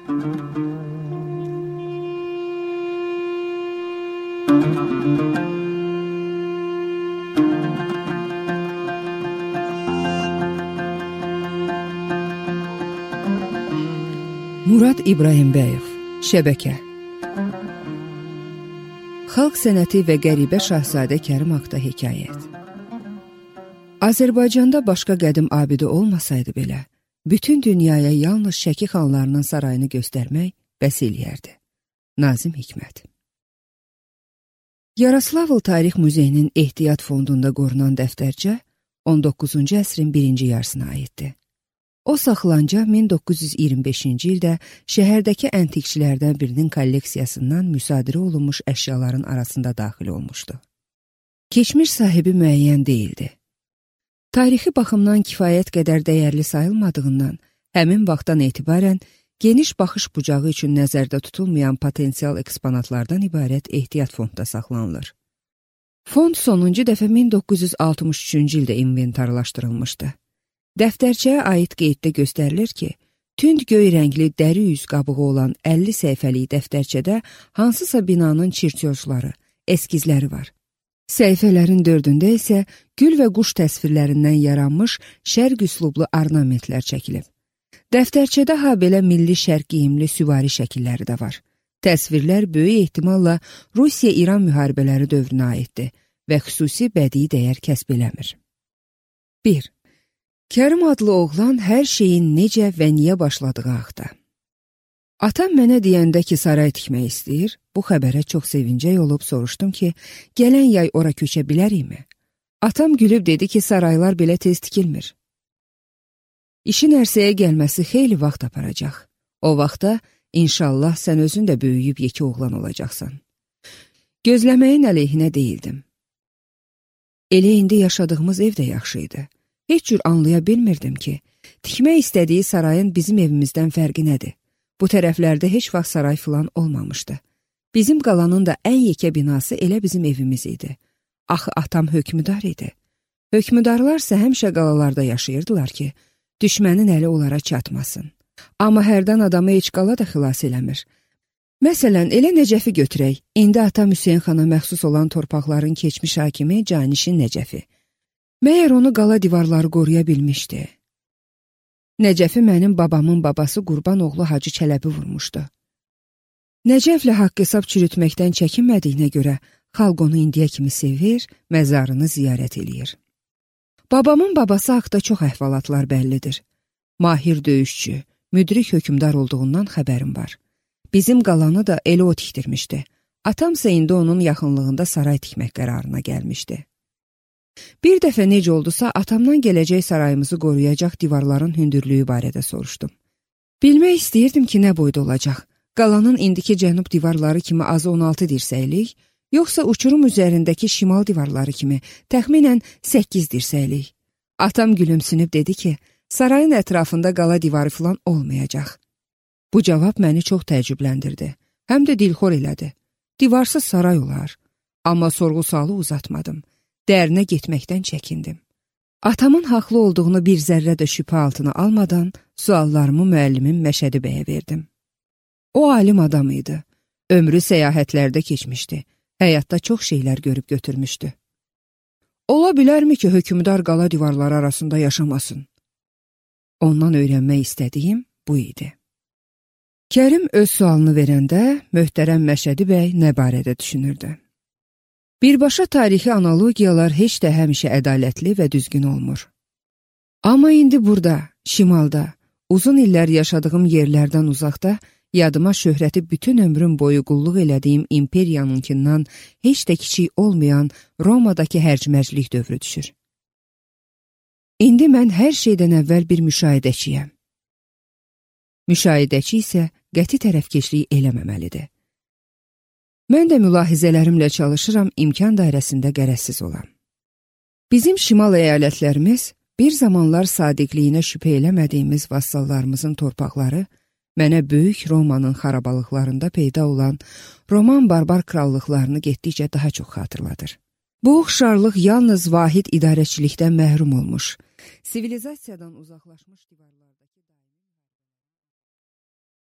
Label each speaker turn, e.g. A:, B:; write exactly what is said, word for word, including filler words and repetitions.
A: Murad İbrahimbəyov, Şəbəkə. Xalq sənəti və qəribə Şahzadə Kərim haqda hekayət. Azərbaycanda başqa qədim abidə olmasaydı belə, bütün dünyaya yalnız Şəki xanlarının sarayını göstərmək bəs eləyərdi. Nazim Hikmət. Yaroslavl Tarix Muzeyinin ehtiyat fondunda qorunan dəftərcə on doqquzuncu əsrin birinci yarısına aiddir. O saxlanca min doqquz yüz iyirmi beşinci ildə şəhərdəki əntiqçilərdən birinin kolleksiyasından müsadirə olunmuş əşyaların arasında daxil olmuşdu. Keçmiş sahibi müəyyən deyildi. Tarixi baxımdan kifayət qədər dəyərli sayılmadığından, həmin vaxtdan etibarən geniş baxış bucağı üçün nəzərdə tutulmayan potensial eksponatlardan ibarət ehtiyat fondda saxlanılır. Fond sonuncu dəfə min doqquz yüz altmış üçüncü ildə inventarlaşdırılmışdı. Dəftərçəyə aid qeyddə göstərilir ki, tünd göy rəngli dəri yüz qabığı olan əlli səhifəlik dəftərçədə hansısa binanın çirtyojları, eskizləri var. Səhifələrin dördündə isə gül və quş təsvirlərindən yaranmış şərq üslublu ornamentlər çəkilib. Dəftərçədə ha belə milli şərq geyimli süvari şəkilləri də var. Təsvirlər böyük ehtimalla Rusiya-İran müharibələri dövrünə aiddir və xüsusi bədii dəyər kəsb eləmir. bir. Kərim adlı oğlan hər şeyin necə və niyə başladığı haqda. Atam mənə deyəndə ki, saray tikmək istəyir, bu xəbərə çox sevincək olub soruşdum ki, gələn yay ora köçə bilərikmi? Atam gülüb dedi ki, saraylar belə tez tikilmir. İşin ərsəyə gəlməsi xeyli vaxt aparacaq. O vaxtda, inşallah, sən özün də böyüyüb yekə oğlan olacaqsan. Gözləməyin əleyhinə deyildim. Elə indi yaşadığımız ev də yaxşı idi. Heç cür anlaya bilmirdim ki, tikmək istədiyi sarayın bizim evimizdən fərqi nədir? Bu tərəflərdə heç vaxt saray filan olmamışdı. Bizim qalanın da ən yekə binası elə bizim evimiz idi. Axı atam hökmüdar idi. Hökmüdarlarsa həmişə qalalarda yaşayırdılar ki, düşmənin əli onlara çatmasın. Amma hərdən adamı heç qala da xilas eləmir. Məsələn, elə Nəcəfi götürək. İndi atam Hüseyin xana məxsus olan torpaqların keçmiş hakimi Canişin Nəcəfi. Məyər onu qala divarları qoruya bilmişdi. Nəcəfi mənim babamın babası Qurbanoğlu Hacı Çələbi vurmuşdu. Nəcəflə haqq hesab çürütməkdən çəkinmədiyinə görə xalq onu indiyə kimi sevir, məzarını ziyarət eləyir. Babamın babası haqda çox əhvalatlar bəllidir. Mahir döyüşçü, müdrik hökmdar olduğundan xəbərim var. Bizim qalanı da elə o tikdirmişdi. Atamsa indi onun yaxınlığında saray tikmək qərarına gəlmişdi. Bir dəfə necə oldusa, atamdan gələcək sarayımızı qoruyacaq divarların hündürlüyü barədə soruşdum. Bilmək istəyirdim ki, nə boyda olacaq? Qalanın indiki cənub divarları kimi azı on altı dirsəklik, yoxsa uçurum üzərindəki şimal divarları kimi təxminən səkkiz dirsəklik. Atam gülümsünüb dedi ki, sarayın ətrafında qala divarı filan olmayacaq. Bu cavab məni çox təəccübləndirdi, həm də dilxor elədi. Divarsız saray olar, amma sorğu-sualı uzatmadım. Dərinə getməkdən çəkindim. Atamın haqlı olduğunu bir zərrə də şübhə altına almadan suallarımı müəllimim Məşədi bəyə verdim. O alim adam idi. Ömrü səyahətlərdə keçmişdi. Həyatda çox şeylər görüb götürmüşdü. Ola bilərmi ki, hökmdar qala divarları arasında yaşamasın? Ondan öyrənmək istədiyim bu idi. Kərim öz sualını verəndə möhtərəm Məşədi bəy nə barədə düşünürdü? Birbaşa tarixi analogiyalar heç də həmişə ədalətli və düzgün olmur. Amma indi burada, şimalda, uzun illər yaşadığım yerlərdən uzaqda, yadıma şöhrəti bütün ömrüm boyu qulluq elədiyim imperiyanınkindən heç də kiçik olmayan Romadakı hərc-mərclik dövrü düşür. İndi mən hər şeydən əvvəl bir müşahidəçiyəm. Müşahidəçi isə qəti tərəfkeşlik eləməməlidir. Mən də mülahizələrimlə çalışıram imkan dairəsində qərəzsiz olam. Bizim şimal əyalətlərimiz, bir zamanlar sadiqliyinə şübhə eləmədiyimiz vassallarımızın torpaqları, mənə böyük Romanın xarabalıqlarında peyda olan Roman barbar krallıqlarını getdikcə daha çox xatırladır. Bu oxşarlıq yalnız vahid idarəçilikdən məhrum olmuş, sivilizasiyadan uzaqlaşmış divarlar.